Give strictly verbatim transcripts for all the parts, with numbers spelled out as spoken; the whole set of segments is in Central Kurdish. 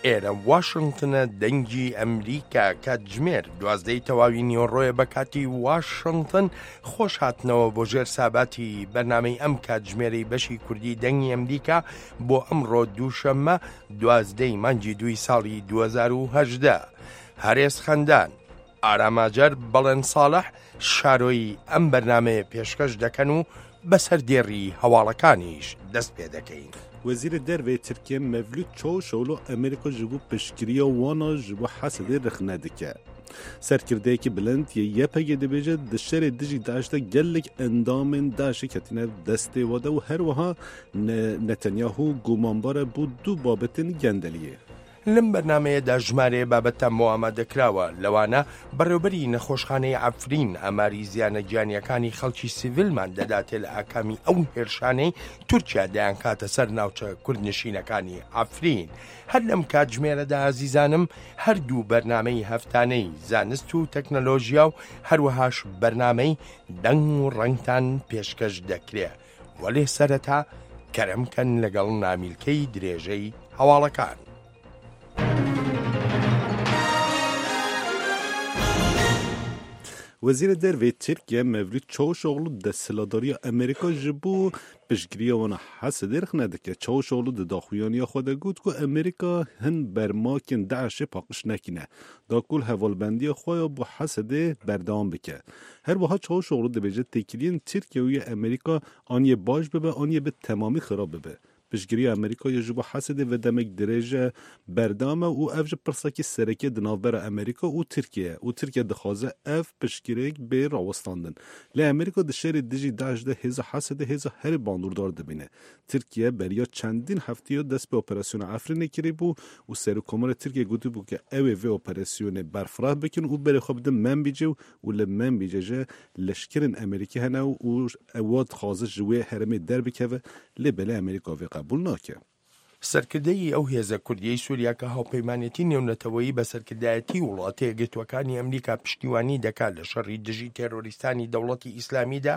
ئێرە واشنگتنە، دەنگی ئەمریکا. کاتژمێر دوازدەی تەواوی نیوەڕۆیە بە کاتی واشنگتن. خۆش هاتنەوە بۆ ژێر ساباتی بەرنامەی ئەم کاتژمێرەی بەشی کوردی دەنگی ئەمریکا بۆ ئەمڕۆ دووشەممە دوازدەی مانگی دووی ساڵی دوو هەزار و هەژدە. هەرێز خەندان، ئاراماجەر، بەڵێن ساڵح شارۆی ئەم بەرنامەیە پێشکەش دەکەن و بەسەر دێڕی هەواڵەکانیش دەست پێ دەکەین. وەزیرê Derve yê Tirkiyê Mevlut Çavuşoglu Amerîka ji bo piştgiriya wan a ji bo Hesedê rexne dike. Serkirdeyekî bilind yê Y P G dibêje di şerê dijî DAIŞ de gelek endamên DAIŞê ketine destê we de û her wiha Netanyahu gumanbar e bo du babetên gendeliyê. لەم بەرنمەیەدا ژمارەیە بابەتان بۆ ئامادەکراوە، لەوانە بەڕێوبەری نەخۆشخانەی عەفرین ئاماری زیانە گیانیەکانی خەڵکی سیڤیلمان دەداتێ لە ئاکامی ئەو هێرشانەی تورکیا دەیانکاتە سەر ناوچە کوردنشینەکانی عەفرین. هەر لەم کاتژمێرەدا ئازیزانم هەردوو بەرنامەی هەفتانەی زانست و تەکنەلۆژیا و هەروەهاش بەرنامەی دەنگ و ڕەنگتان پێشکەش دەکرێ. وەلێ سەرەتا کەرەمکەن لەگەڵ نامیلکەی درێژەی هەواڵەکان. وەزیرê Derve yê Tirkiye Mevlut Çavuşoglu desthilatdariya Amerîka ji bo piştgiriya wan a Hesedê rexne dike. Çavuşoglu di daxuyaniya xwe de got ku Amerîka hin bermakên DAIŞê paqij nekîne da ku li hevalbendiya xwe ya bo Hesedê berdewam bike. Her wiha Çavuşoglu dibêje têkiliyên Tirkiye û yê Amerîka aniyê baş bibe aniyê bi temamî xirab bibe. Piştgiriya Amerîka ya ji bo Hesedê ve demek dirêj berdewam e û ev ji pirsekî sereke di navbera Amerîka û Tirkiye û Tirkiye dixwaze ev piştgiriyek bê rawestandin. Lê Amerîka di şerê dijî DAIŞ de hêza Hesedê hêza herî bandordar dibîne. Tirkiye beriya çendîn hefteya dest bi operasyona Efrînê kiribû û Serokkomarê Tirkiye gotibû ku ew ê vê operasyonê berfireh bikin û berê xwe bidin Menbicê û li Menbicê jî leşkerên Amerîkî hene û ew dixwaze ji wê herêmê derbikeve, lê belê Amerîka vê قبول ناکە. سەرکردەی ئەو هێزە کوردیەی سووریا کە هاوپەیمانێتی نێونەتەوەیی بە سەرکردایەتی وڵاتە یەکگرتووەکانی ئەمریکا پشتیوانی دەکات لە شەڕی دژی تێرۆریستانی دەوڵەتی ئیسلامیدا،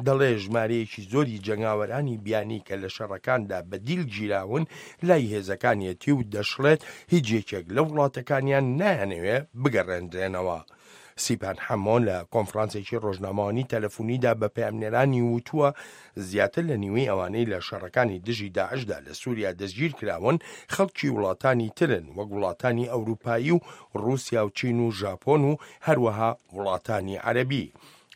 دەڵێ ژمارەیەکی زۆری جەنگاوەرانی بیانی کە لە شەڕەکاندا بە دیل گیراون لای هێزەکانیەتی و دەشڵێت هیچ یەکێک لە وڵاتەکانیان نایانەوێ بگەڕێندرێنەوە. سیپان حەمۆ لە کۆنفرانسێکی ڕۆژنامەوانی تەلەفۆنیدا بە پەیامنێرانی وتووە زیاتر لە نیوەی ئەوانەی لە شەڕەکانی دژی داعشدا لە سووریا دەستگیر کراون خەڵکی وڵاتانی ترن وەک وڵاتانی ئەوروپایی و ڕووسیا و چین و ژاپۆن و هەروەها وڵاتانی عەرەبی.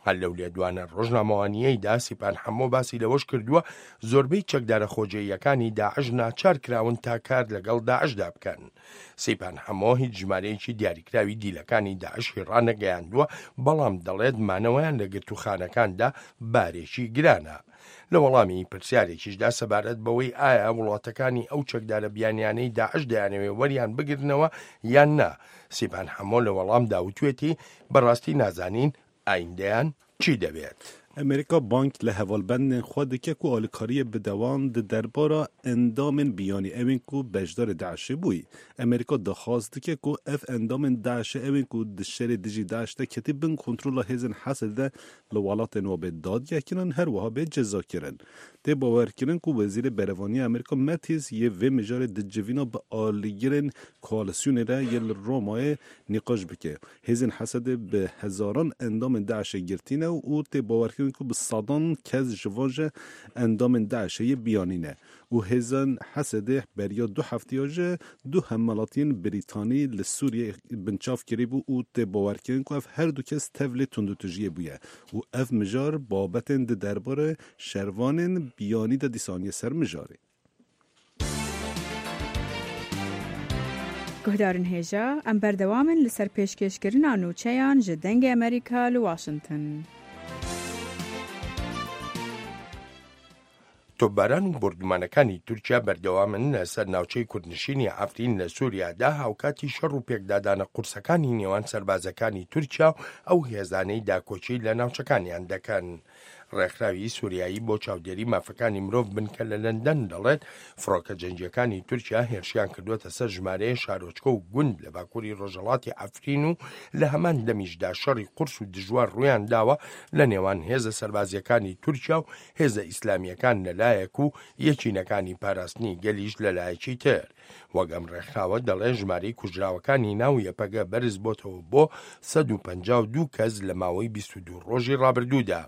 هەر لەو لێدوانە ڕۆژنامەوانیەیدا سیپان حەمۆ باسی لەوەش کردووە زۆربەی چەکدارە خۆجێیەکانی داعش ناچار کراون تا کار لەگەڵ داعشدا بکەن. سیپان حەمۆ هیچ ژمارەیەکی دیاریکراوی دیلەکانی داعشی ڕانەگەیاندووە، بەڵام دەڵێت مانەوەیان لە گرتوخانەکاندا بارێکی گرانە. لە وەڵامی پرسیارێکیشدا سەبارەت بەوەی ئایا وڵاتەکانی ئەو چەکدارە بیانیانەی داعش دەیانەوێ وەریان بگرنەوە یان نا، سیپان حەمۆ لە وەڵامدا وتوێتی بەڕاستی نازانین ئایندەیان چی دەبێت. ئەمریکا بانک لە hevalbendên xwe dike ku alîkariyê bide wan di derbara endamên biyanî ewên ku beşdarê DAIŞê bûyî. Amerîka daxwaz dike ku ev endamên DAIŞê ewên ku di şerê dijî DAIŞ de ketî bin kontrola hêzên Hesedê de li welatên wan bê dadgehkirin her wiha bê cezakirin. Tê bawerkirin ku Wezîrê Berevaniya Amerîka Mattis yê vê mijarê di civîna bi alîgirên koalîsyonê re yê li Romayê nîqaş bike. Hêzên Hesedê bi hezaran endamên DAIŞê girtîne û tê bawerkirin ku bi sedan kes ji van ji endamên DAIŞê yê biyanî ne û hêzên Hesedê beriya du hefteya ji du hemwelatiyên Brîtanî li Sûriyê binçav kiribû û tê bawerkirin ku ev her du kes tevlê tundûtûjiyê bûye û ev mijar babetên di derbarê şervanên biyanî de dîsaniye ser mijarê. Guhdarên hêja, em berdewam in li ser pêşkêşkirina nûçeyan ji Dengê Amerîka li Washington. تۆپباران و بۆردومانەکانی تورکیا بەردەوامن لەسەر ناوچەی کوردنشینی عەفرین لە سووریادا، هاوکاتی شەڕ و پێکدادانە قورسەکانی نێوان سەربازەکانی تورکیا و ئەو هێزانەی داکۆکی لە ناوچەکانیان دەکەن. ڕێکخراوی سووریایی بۆ چاودێری مافەکانی مرۆڤ بنکە لە لەندەن دەڵێت فڕۆکە جەنگیەکانی تورکیا هێرشیان کردووەتە سەر ژمارەیە شارۆچکە و گوند لە باکووری ڕۆژهەڵاتی عەفرین و لە هەمان دەمیشدا شەڕی قورس و دژوار ڕوویان داوە لە نێوان هێزە سەربازیەکانی تورکیا و هێزە ئیسلامیەکان لەلایەک و یەکینەکانی پاراستنی گەلیش لەلایەکی تر. وەک ئەم ڕێکخراوە دەڵێ ژمارەی کوژراوەکانی ناو یەپەگە بەرز بۆتەوە بۆ سەد و پەنجا و دوو کەس لە ماوەی بیست و دوو ڕۆژی ڕابردوودا.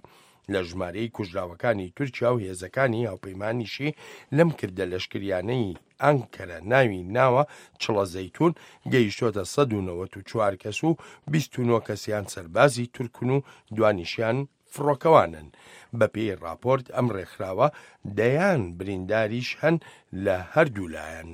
لە ژمارەی کوژراوەکانی تورکیا و هێزەکانی هاوپەیمانیشی لەم کردە لەشکریانەی ئەنکەرە ناوی ناوە چڵە زەیتون گەیشتۆتە سەد و نەوەت و چوار کەس و بیست و نۆ کەسیان سەربازی تورکن و دوانیشیان فڕۆکەوانن. بەپێی ڕاپۆرت ئەم ڕێکخراوە دەیان برینداریش هەن لە هەردوو لایەن.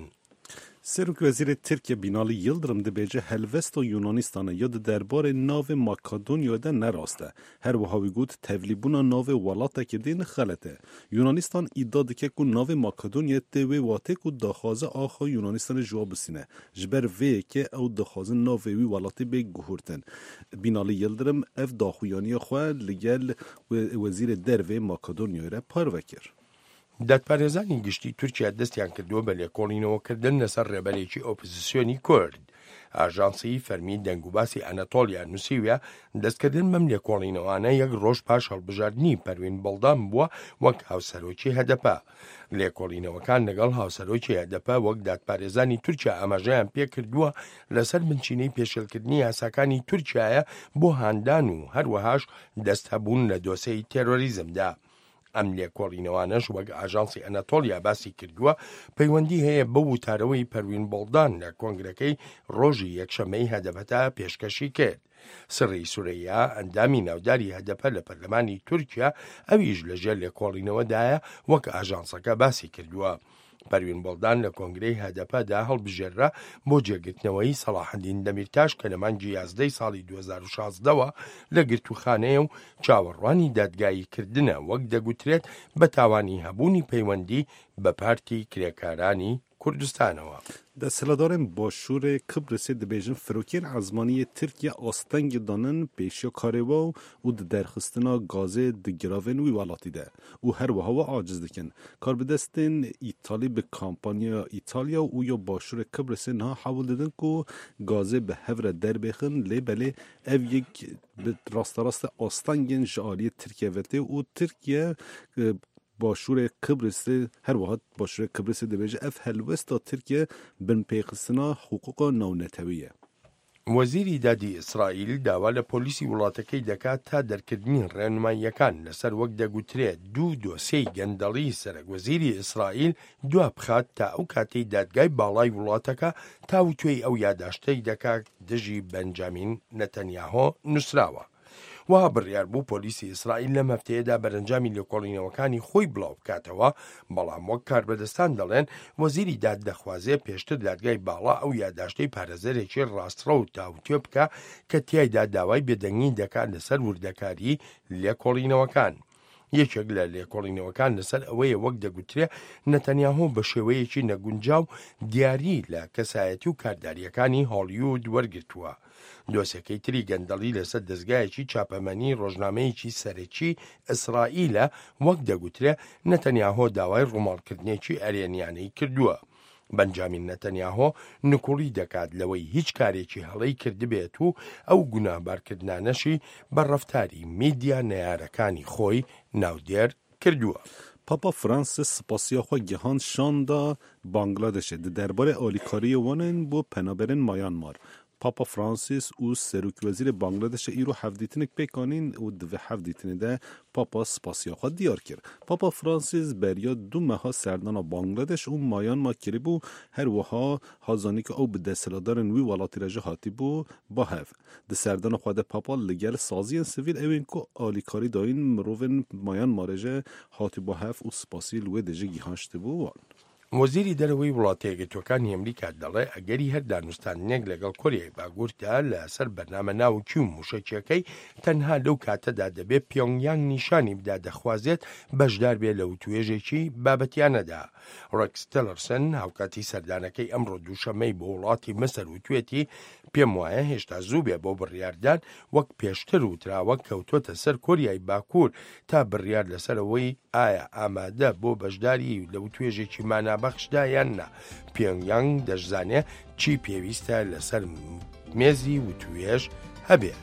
Serokwezîrê Tirkiye Binali Yildirim dibêje helwesta Yunanistanê ya di derbarê navê Makedonyayê de ne rast e. Her wiha wî got tevlîbûna navê welatekî din xelet e. Yunanistan îdia dike ku navê Makedonyayê tê wê watê ku daxwaza axa Yunanistanê ji wan bisîne. Ji ber vê yekê ew dixwazin navê wî welatî bê guhertin. Binali Yildirim ev daxuyaniya xwe li gel wezîrê dervê Makedonyayê re parve kir. دادپارێزانی گشتی تورکیا دەستیان کردووە بە لێکۆڵینەوەکردن لەسەر ڕێبەرێکی ئۆپۆزیسیۆنی کورد. ئاژانسی فەرمی دەنگوباسی ئەنەتۆلیا نووسیویە دەستکردن بەم لێکۆڵینەوانە یەک ڕۆژ پاش هەڵبژاردنی پەروین بەڵدان بووە وەک هاوسەرۆکی هەدەپە. لێکۆڵینەوەکان لەگەڵ هاوسەرۆکی هەدەپە وەک دادپارێزانی تورکیا ئاماژەیان پێکردووە لەسەر بنچینەی پێشێلکردنی یاساکانی تورکیایە بۆ هاندان و هەروەهاش دەست هەبوون لە دۆسێی تێرۆریزمدا. ئەم لێکۆڵینەوانەش وەک ئاژانسی ئەنەتۆلیا باسی کردووە پەیوەندی هەیە بەو وتارەوەی پەروین بەڵدان لە کۆنگرەکەی ڕۆژی یەکشەممەی هەدەپەتا پێشکەشی کرد. سڕی سورەیا ئەندامی ناوداری هەدەپە لە پەرلەمانی تورکیا ئەویش لەژێر لێکۆڵینەوەدایە وەک ئاژانسەکە باسی کردووە. پەروین بەڵدان لە کۆنگرەی هەدەپەدا هەڵبژێررا بۆ جێگرتنەوەی سەڵاحەدین دەمیرتاش کە لە مانگی یازدەی ساڵی دوو هەزار و شازدەوە لە گرتوخانەیە و چاوەڕوانی دادگاییکردنە وەک دەگوترێت بە تاوانی هەبوونی پەیوەندی بە پارتی کرێکارانی کوردستانەوە. دەسەڵاتدارên Başûrê Kibrisê dibêjin firokên ezmanî yê Tirkiye astengî danin pêşiya karê we û di derxistina gazê di giravên wî welatî de û her wiha we aciz dikin. Karbidestên Îtalî bi kampanya Îtalya û ya Başûrê Kibrisê niha hewl didin ku gazê bi hev re derbêxin lê belê ev yek bi rasterast astengên ji aliyê Tirkiye ve tê û Tirkiye Başûrê Kibrisê her wiha Başûrê Kibrisê dibêje ev helwesta Tirkiye binpêxistina hiqûqa navnetewî ye. وەزیری دادی ئیسرائیل داوا لە پۆلیسی وڵاتەکەی دەکات تا دەرکردنی ڕێنماییەکان لەسەر وەک دەگوترێت دوو دۆسێی گەندەڵی سەرەک وەزیری ئیسرائیل دوا بخات تا ئەو کاتەی دادگای باڵای وڵاتەکە تاوتوێی ئەو یاداشتەی دەکات دژی بەنجامین نەتەنیاهۆ نووسراوە. وا بڕیار بوو پۆلیسی ئیسرائیل لەم هەفتەیەدا بەرەنجامی لێکۆڵینەوەکانی خۆی بڵاو بکاتەوە، بەڵام وەک کاربەدەستان دەڵێن وەزیری داد دەخوازێ پێشتر دادگای باڵا ئەو یاداشتەی پارێزەرێکی ڕاستڕەو تاوتوێ بکە کە تیایدا داوای بێدەنگی دەکات لەسەر وردەکاری لێکۆڵینەوەکان. یەکێک لە لێکۆڵینەوەکان لەسەر ئەوەیە وەک دەگوترێ نەتەنیاهۆ بە شێوەیەکی نەگونجاو دیاری لە کەسایەتی و کارداریەکانی هۆلیوود وەرگرتووە. دۆسێکەی تری گەندەڵی لەسەر دەستگایەکی چاپەمەنی ڕۆژنامەیەکی سەرەکی ئیسرائیلە وەک دەگوترێ نەتەنیاهۆ داوای ڕووماڵکردنێکی ئەرێنیانەی کردووە. بەنجامین نەتەنیاهۆ نکوڵی دەکات لەوەی هیچ کارێکی هەڵەی کردبێت و ئەو گوناهبارکردنانەشی بە ڕەفتاری میدیا نەیارەکانی خۆی ناودێر کردووە. پاپا فرانسیس سپاسیا خۆی گەهاند شاندا بانگلادشê di derbarê alîkariyê wan ên bo penaberên Myanmar. Papa Francis û Serokwezîrê Bangladeşê îro hevdîtinek pêk anîn û di vê hevdîtinê de Papa spasiya xwe diyar kir. Papa Francis beriya du meha serdana Bangladeş û Myanmar kiribû her wiha hat zanîn ku ew bi desthilatdarên wî welatî re jî hatibû ba hev. Di serdana xwe de Papa li gel saziyên sivîl ew ên ku alîkarî dayîn mirovên Myanmarê jî hatibû hev û spasî li wê de jî gihaştibû wan. وەزیری دەرەوەی وڵاتە یەکگرتووەکانی ئەمریکا دەڵێ ئەگەری هەر دانوستاندنێک لەگەڵ کۆریای باکووردا لەسەر بەرنامە ناوکی و مووشەکیەکەی تەنها لەو کاتەدا دەبێت پیۆنگیانگ نیشانی بدا دەخوازێت بەشدار بێ لە وتوێژێکی بابەتیانەدا. ڕێکس تیلەرسن هاوکاتی سەردانەکەی ئەمڕۆ دووشەمەی بۆ وڵاتی مسر وتوێتی پێم وایە هێشتا زوو بێ بۆ بڕیاردان، وەک پێشتر وتراوە کەوتۆتە سەر کۆریای باکوور تا بڕیار لەسەرەوەی ئایا ئامادە بۆ بەشداری لە وتوێژێکی مانابەخشدا یان نا. پیۆنگیانگ دەشزانێ چی پێویستە لەسەر مێزی وتوێژ هەبێت.